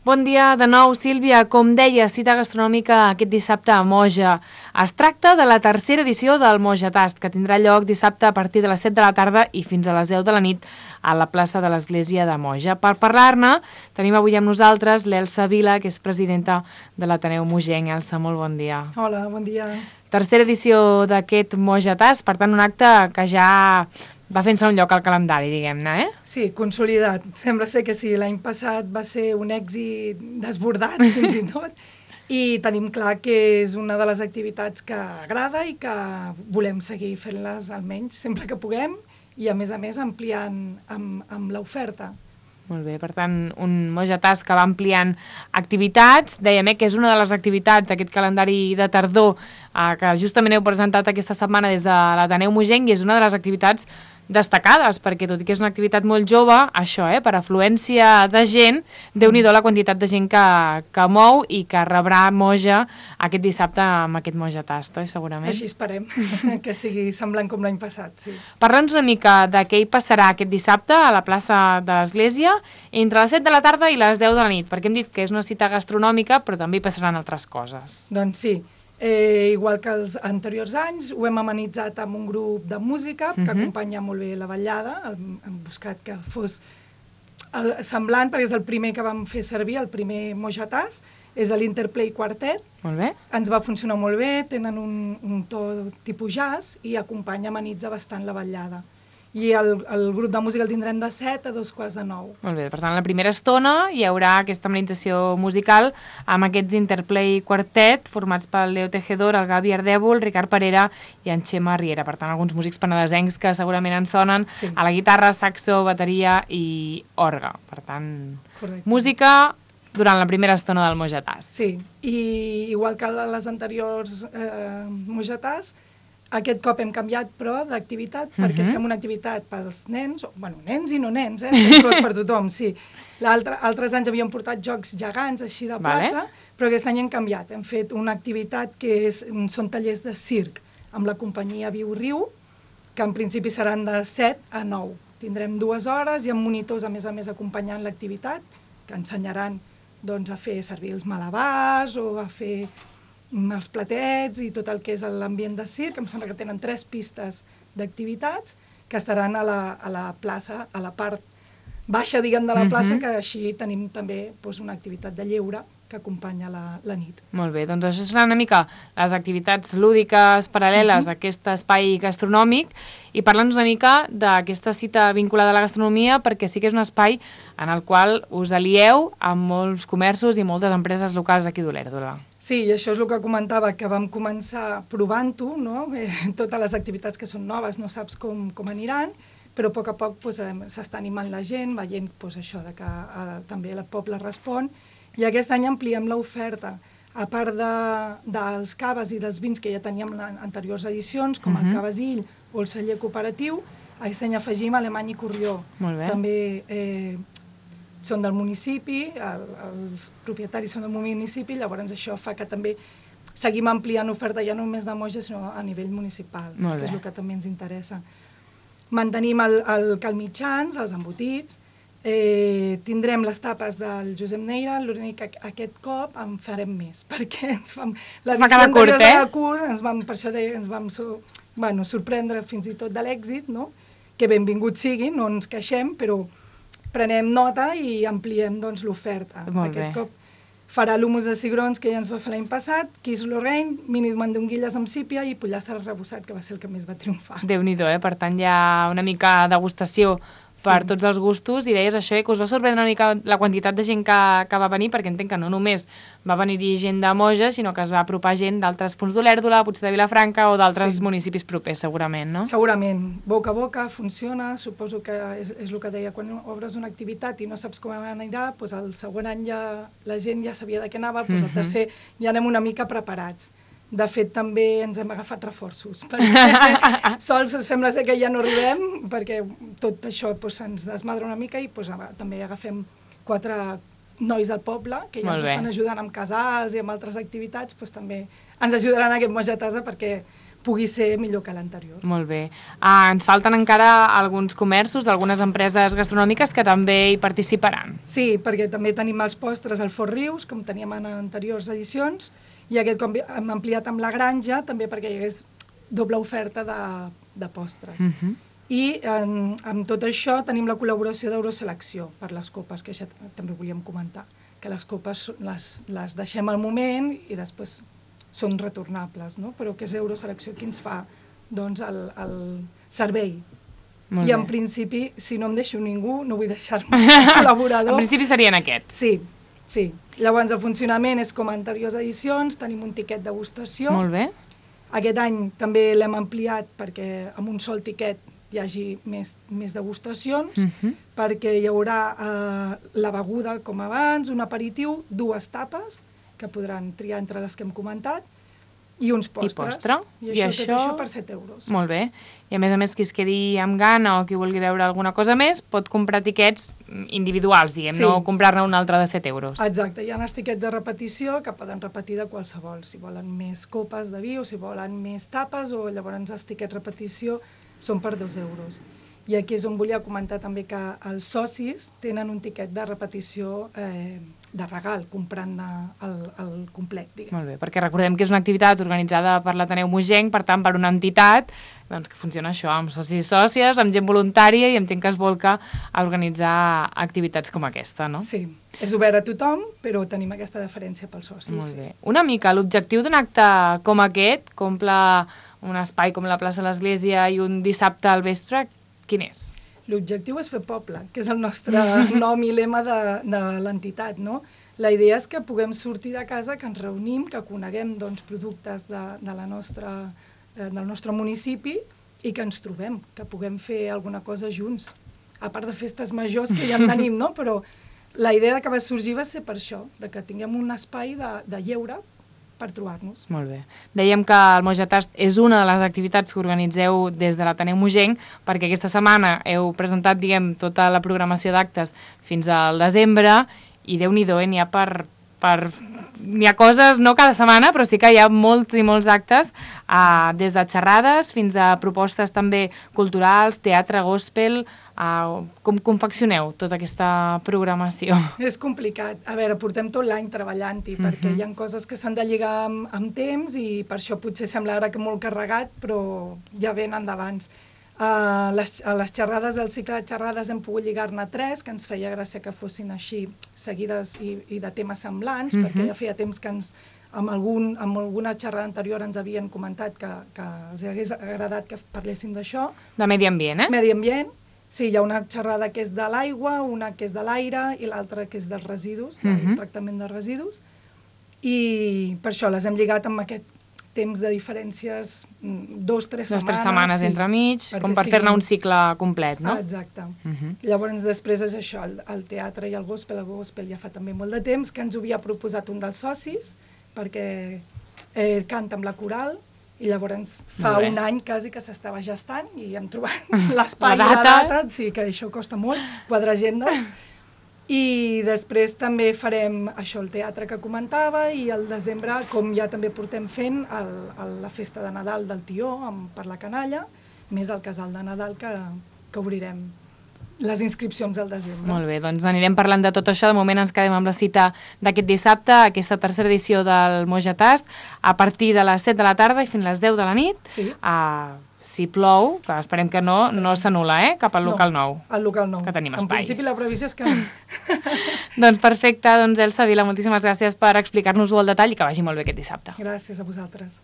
Bon dia de nou, Sílvia. Com deia, cita gastronòmica aquest dissabte a Moja. Es tracta de la tercera edició del Moja Tast, que tindrà lloc dissabte a partir de les 7 de la tarda i fins a les 10 de la nit a la plaça de l'Església de Moja. Per parlar-ne, tenim avui amb nosaltres l'Elsa Vila, que és presidenta de l'Ateneu Mojenc. Elsa, molt bon dia. Hola, bon dia. Tercera edició d'aquest Moja Tast, per tant, un acte que ja va fent-se un lloc al calendari, diguem-ne, eh? Sí, consolidat. Sembla ser que sí, l'any passat va ser un èxit desbordat, fins i tot, i tenim clar que és una de les activitats que agrada i que volem seguir fent-les almenys sempre que puguem i, a més, ampliant amb l'oferta. Molt bé, per tant, un Moja Tast que va ampliant activitats. Dèiem que és una de les activitats d'aquest calendari de tardor que justament heu presentat aquesta setmana des de l'Ateneu Mojenc i és una de les activitats destacades, perquè tot i que és una activitat molt jove, això, per afluència de gent, Déu-n'hi-do la quantitat de gent que mou i que rebrà Moja aquest dissabte amb aquest Moja Tast, segurament. Així esperem, que sigui semblant com l'any passat, sí. Parla'ns una mica de què hi passarà aquest dissabte a la plaça de l'Església entre les 7 de la tarda i les 10 de la nit, perquè hem dit que és una cita gastronòmica, però també hi passaran altres coses. Doncs sí. Igual que els anteriors anys, ho hem amenitzat amb un grup de música que acompanya molt bé la ballada. Hem buscat que fos semblant, perquè és el primer que vam fer servir, el primer Moja Tast, és l'Interplay Quartet. Molt bé. Ens va funcionar molt bé, tenen un to tipus jazz i acompanya, amenitza bastant la ballada. I el grup de música el tindrem de 7 a 2:45. Molt bé, per tant, la primera estona hi haurà aquesta amenització musical amb aquests Interplay Quartet formats pel Leo Tejedor, el Gavi Ardèvol, el Ricard Parera i en Xema Riera. Per tant, alguns músics penedesencs que segurament en sonen a la guitarra, saxo, bateria i orgue. Per tant, correcte. Música durant la primera estona del Moja Tast. Sí, i igual que les anteriors Moja Tast, aquest cop hem canviat, però, d'activitat, perquè fem una activitat pels nens, bueno, nens i no nens, per tothom, sí. Altres anys havíem portat jocs gegants, així de plaça, però aquest any hem canviat. Hem fet una activitat que són tallers de circ, amb la companyia Viu Riu, que en principi seran de 7 a 9. Tindrem 2 hores i amb monitors, a més, acompanyant l'activitat, que ensenyaran a fer servir els malabars o a fer els platets i tot el que és l'ambient de circ. Em sembla que tenen 3 pistes d'activitats que estaran a la plaça, a la part baixa, diguem, de la plaça, que així tenim també una activitat de lleure que acompanya la nit. Molt bé, doncs això seran una mica les activitats lúdiques paral·leles a aquest espai gastronòmic i parla'ns una mica d'aquesta cita vinculada a la gastronomia, perquè sí que és un espai en el qual us alieu amb molts comerços i moltes empreses locals d'aquí d'Olèrdola. Sí, i això és el que comentava, que vam començar provant-ho, no? Totes les activitats que són noves no saps com aniran, però a poc s'està animant la gent, veient això que també el poble respon, i aquest any ampliem l'oferta. A part dels caves i dels vins que ja teníem en anteriors edicions, com el Cavasil o el celler cooperatiu, aquest any afegim Alemany i Corrió. També són del municipi, els propietaris són del municipi, llavors això fa que també seguim ampliant oferta ja no només de Moja, sinó a nivell municipal, que és el que també ens interessa. Mantenim el calmitjans, els embotits, tindrem les tapes del Josep Neira, l'únic que aquest cop en farem més, perquè l'edició anterior era curt, per això ens vam sorprendre fins i tot de l'èxit, que benvingut sigui, no ens queixem, però prenem nota i ampliem l'oferta. Aquest cop farà l'humus de cigrons, que ja ens va fer l'any passat, Quis Lorraine, mini mandonguilles amb sípia i pollastre arrebossat, que va ser el que més va triomfar. Déu-n'hi-do, per tant hi ha una mica degustació per tots els gustos, i deies això, que us va sorprendre una mica la quantitat de gent que va venir, perquè entenc que no només va venir gent de Moja, sinó que es va apropar gent d'altres punts d'Olèrdola, potser de Vilafranca o d'altres municipis propers, segurament, no? Segurament. Boca a boca funciona, suposo que és el que deia, quan obres una activitat i no saps com anirà, doncs el següent any la gent ja sabia de què anava, doncs el tercer ja anem una mica preparats. De fet, també ens hem agafat reforços, perquè sols sembla ser que ja no arribem, perquè tot això se'ns desmadra una mica i també agafem 4 nois del poble, que ja ens estan ajudant amb casals i amb altres activitats, també ens ajudaran a aquest Moja Tast perquè pugui ser millor que l'anterior. Molt bé. Ens falten encara alguns comerços, algunes empreses gastronòmiques que també hi participaran. Sí, perquè també tenim els postres al Fort Rius, com teníem en anteriors edicions, i aquest cop hem ampliat amb la granja, també perquè hi hagués doble oferta de postres. I amb tot això tenim la col·laboració d'Euroselecció per les copes, que ja també volíem comentar, que les copes les deixem al moment i després són retornables, no? Però que és Euroselecció qui ens fa doncs, el servei. I en principi, si no em deixo ningú, no vull deixar-me col·laborador. En principi serien aquests. Sí. Llavors el funcionament és com a anteriors edicions, tenim un tiquet de degustació. Molt bé. Aquest any també l'hem ampliat perquè amb un sol tiquet hi hagi més degustacions, perquè hi haurà la beguda com abans, un aperitiu, 2 tapes, que podran triar entre les que hem comentat, i uns postres. I postre. I això per 7 euros. Molt bé. I a més, qui es quedi amb gana o qui vulgui veure alguna cosa més, pot comprar tiquets individuals, diguem, no comprar-ne un altre de 7 euros. Exacte. Hi ha els tiquets de repetició que poden repetir de qualsevol. Si volen més copes de vi o si volen més tapes, o llavors els tiquets repetició són per 2 euros. I aquí és on volia comentar també que els socis tenen un tiquet de repetició de regal, comprant el complet, diguem. Molt bé, perquè recordem que és una activitat organitzada per l'Ateneu Mogenc, per tant, per una entitat doncs, que funciona això, amb socis i sòcies, amb gent voluntària i amb gent que es volca a organitzar activitats com aquesta, no? Sí, és obert a tothom, però tenim aquesta deferència pels socis. Molt bé. Una mica, l'objectiu d'un acte com aquest, que omple un espai com la plaça de l'Església i un dissabte al vespre, quin és? L'objectiu és fer poble, que és el nostre nom i lema de l'entitat, no? La idea és que puguem sortir de casa, que ens reunim, que coneguem doncs, productes del nostre municipi i que ens trobem, que puguem fer alguna cosa junts. A part de festes majors que ja en tenim, no? Però la idea que va sorgir va ser per això, de que tinguem un espai de lleure per trobar-nos. Molt bé. Dèiem que el Mojatast és una de les activitats que organitzeu des de l'Ateneu Mogenc, perquè aquesta setmana heu presentat, diguem, tota la programació d'actes fins al desembre, i Déu-n'hi-do, n'hi ha n'hi ha coses, no cada setmana, però sí que hi ha molts i molts actes, des de xerrades fins a propostes també culturals, teatre, gospel. Com confeccioneu tota aquesta programació? És complicat. A veure, portem tot l'any treballant-hi, perquè hi ha coses que s'han de lligar amb temps i per això potser sembla ara que molt carregat, però ja venen d'abans. A les xerrades, el cicle de xerrades hem pogut lligar-ne 3, que ens feia gràcia que fossin així seguides i de temes semblants, perquè ja feia temps que amb alguna xerrada anterior ens havien comentat que els hagués agradat que parléssim d'això. De medi ambient, eh? Medi ambient. Sí, hi ha una xerrada que és de l'aigua, una que és de l'aire i l'altra que és dels residus, del tractament de residus. I per això les hem lligat amb aquest temps de diferències, 2-3 setmanes. 2-3 setmanes entremig, com per fer-ne un cicle complet, no? Exacte. Llavors després és això, el teatre i el gospel ja fa també molt de temps, que ens ho havia proposat un dels socis, perquè canta amb la coral, i llavors fa un any quasi que s'estava gestant i hem trobat l'espai i la data, sí, que això costa molt, quadrar agendes. I després també farem això, el teatre que comentava, i al desembre, com ja també portem fent, la festa de Nadal del Tió per la canalla, més el casal de Nadal que obrirem les inscripcions al desembre. Molt bé, doncs anirem parlant de tot això. De moment ens quedem amb la cita d'aquest dissabte, aquesta tercera edició del Mojatast, a partir de les 7 de la tarda i fins a les 10 de la nit. Sí. Si plou, que esperem que no s'anul·la, cap al local nou. Al local nou. Que tenim espai. En principi la previsió és que no. Doncs perfecte, doncs Elsa Vila, moltíssimes gràcies per explicar-nos-ho al detall i que vagi molt bé aquest dissabte. Gràcies a vosaltres.